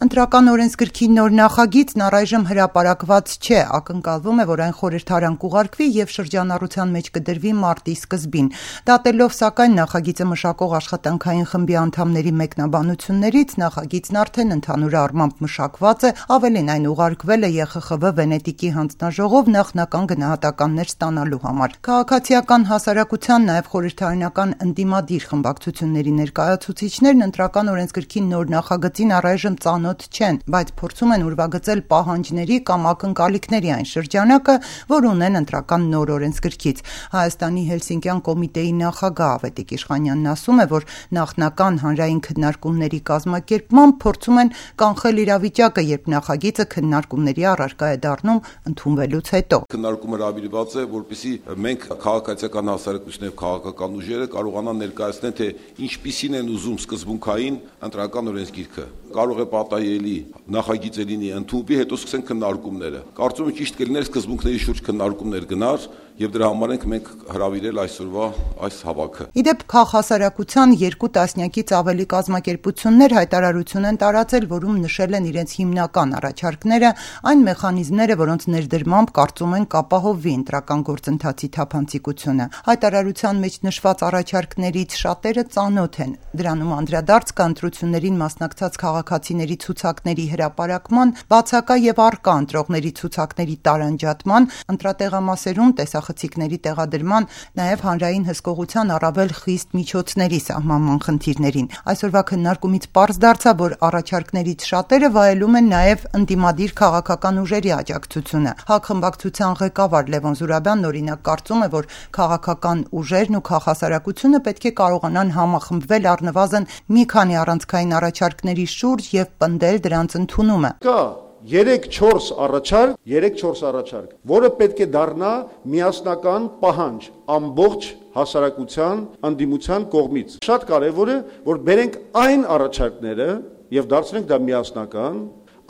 Ընտրական օրենսգրքի նոր նախագիծն առայժմ հրապարակված չէ, ակնկալվում է, որ այն խորհրդարան կուղարկվի և շրջանառության մեջ կդրվի մարտի սկզբին։ Դատելով սակայն նախագիծը մշակող աշխատանքային խմբի անդամների մեկնաբանություններից, նախագիծն արդեն ընդհանուր առմամբ մշակված է, ավելին այն ուղարկվել է ԵԽԽՎ Վենետիկի հանձնաժողով նախնական գնահատականներ ստանալու համար։ Քաղաքացիական հասարակության, նաև խորհրդարանական ընդդիմադիր խմբակցությունների ներկայացուցիչներն ընտրական օրենսգրքի նոր նախագծին առայժմ ծանոթ չեն, բայց փորձում են ուրվագծել պահանջների կամ ակնկալիքների այն շրջանակը, որ ունեն ընտրական նոր օրենսգրքից։ Հայաստանի Հելսինկյան կոմիտեի նախագահ Ավետիք Իշխանյանն ասում է, որ նախնական հանրային քննարկումների կազմակերպմամբ փորձում են կանխել իրավիճակը, երբ նախագիծը քննարկումների առարկա է դառնում ընդունվելուց հետո։ Քննարկումը հրավիրված է, որպեսզի մենք քաղաքացիական հասարակությունն եւ քաղաքական ուժերը կարողանան ներկայացնել, թե ինչպիսին են ուզում սկզբունքային ընտրական օրենսգիրքը։ Կարող է պատահելի նախագիծը լինի ընդունվի, հետո սկսեն քննարկումները։ Կարծում եմ ճիշտ կլիներ սկզբունքների շուրջ քննարկումներ գնար եւ դրա համար ենք մենք հրավիրել այսօրվա այս հավաքը։ Իդեպ քաղաքասարակության 2 տասնյակից ավելի կազմակերպություններ հայտարարություն են տարածել, որում նշել են իրենց հիմնական առաջարկները, այն մեխանիզմները, որոնց ներդրմամբ կարծում են կապահովվի ընտրական գործընթացի թափանցիկությունը։ Հայտարարության մեջ նշված առաջարկներից շատերը ծանոթ են։ Դրանում անդրադարձ կա ընտրություններին մասնակցած քաղաքացիների ցուցակների հրապարակման, բացակա եւ առկա ընտրողների ցուցակների տարանջատման, ընտրատեղամասերում տեսախցիկների տեղադրման, նաեւ հանրային հսկողության առավել խիստ միջոցների սահմանման խնդիրներին։ Այսօրվա քննարկումից պարզ դարձավ, որ առաջարկներից շատերը վայելում են նաեւ ընդդիմադիր քաղաքական ուժերի աջակցությունը։ ՀԱԿ խմբակցության ղեկավար Լևոն Զուրաբյանն օրինակ կարծում է, որ քաղաքական ուժերն ու քաղաքասարակությունը պետք է կարողանան համախմբվել առնվազն մի քանի առանցքային առաջարկների շուրջ եւ պնդել դրանց ընդունումը։ Կա 3-4 առաջարկ, որը պետք է դառնա միասնական պահանջ ամբողջ հասարակության ընդդիմության կողմից։ Շատ կարևոր է, որ բերենք այն առաջարկները եւ դարձնենք դա միասնական,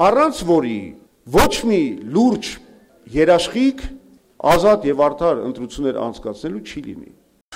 առանց որի ոչ մի լուրջ երաշխիք ազատ եւ արդար ընտրություններ անցկացնելու չի լինի։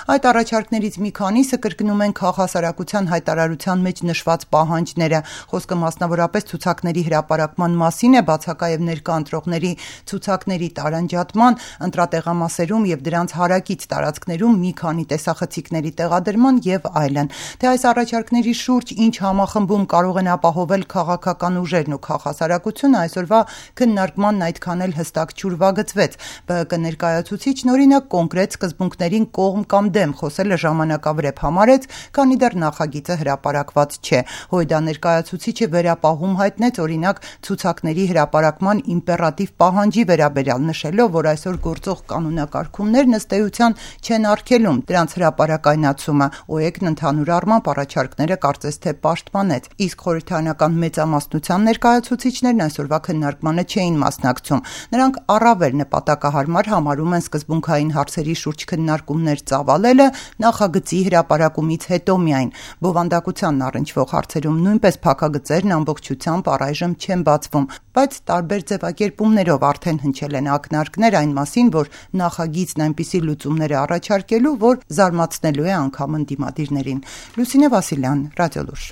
Այդ առաջարկներից մի քանիսը կրկնում են քաղաքասարակության հայտարարության մեջ նշված պահանջները։ Խոսքը մասնավորապես ցուցակների հրապարակման մասին է, բացակա եւ ներկա ընտրողների ցուցակների տարանջատման, ընտրատեղամասերում եւ դրանց հարակից տարածքներում մի քանի տեսախցիկների տեղադրման եւ այլն։ Թե այս առաջարկների շուրջ ինչ համախմբում կարող են ապահովել քաղաքական ուժերն ու քաղաքասարակությունը, այսօրվա քննարկմանն այդքան էլ հստակ չուրվագծվեց։ ԲՀԿ ներկայացուցիչն օրինակ կոնկրետ սկզբունքներին կողմ կամ դեմ խոսելը ժամանակավրեպ համարեց, քանի դեռ նախագիծը հրապարակված չէ։ Հույդա ներկայացուցիչը վերապահում հայտնեց օրինակ ցուցակների հրապարակման իմպերատիվ պահանջի վերաբերյալ, նշելով, որ այսօր գործող կանոնակարգումներն ըստ էության չեն արգելում դրանց հրապարակայնացումը։ ՕԵԿ-ն ընդհանուր առմամբ առաջարկները կարծես թե պաշտպանեց, իսկ խորհրդարանական մեծամասնության ներկայացուցիչներն այսօրվա քննարկմանը չէին մասնակցում։ Նրանք առավել նպատակահարմար համարում են սկզբունքային հարցերի շուրջ քննարկումներ ծավալելը նախագծի հրապարակումից հետո միայն։ Բովանդակությանն առնչվող հարցերում նույնպես փակագծերն ամբողջությամբ առայժմ չեն բացվում, բայց տարբեր ձևակերպումներով արդեն հնչել են ակնարկներ այն մասին, որ նախագիծն այնպիսի լուծումներ է առաջարկելու, որ զարմացնելու է անգամ ընդդիմադիրներին։ Լուսինե Վասիլյան, Ռադիոլուր։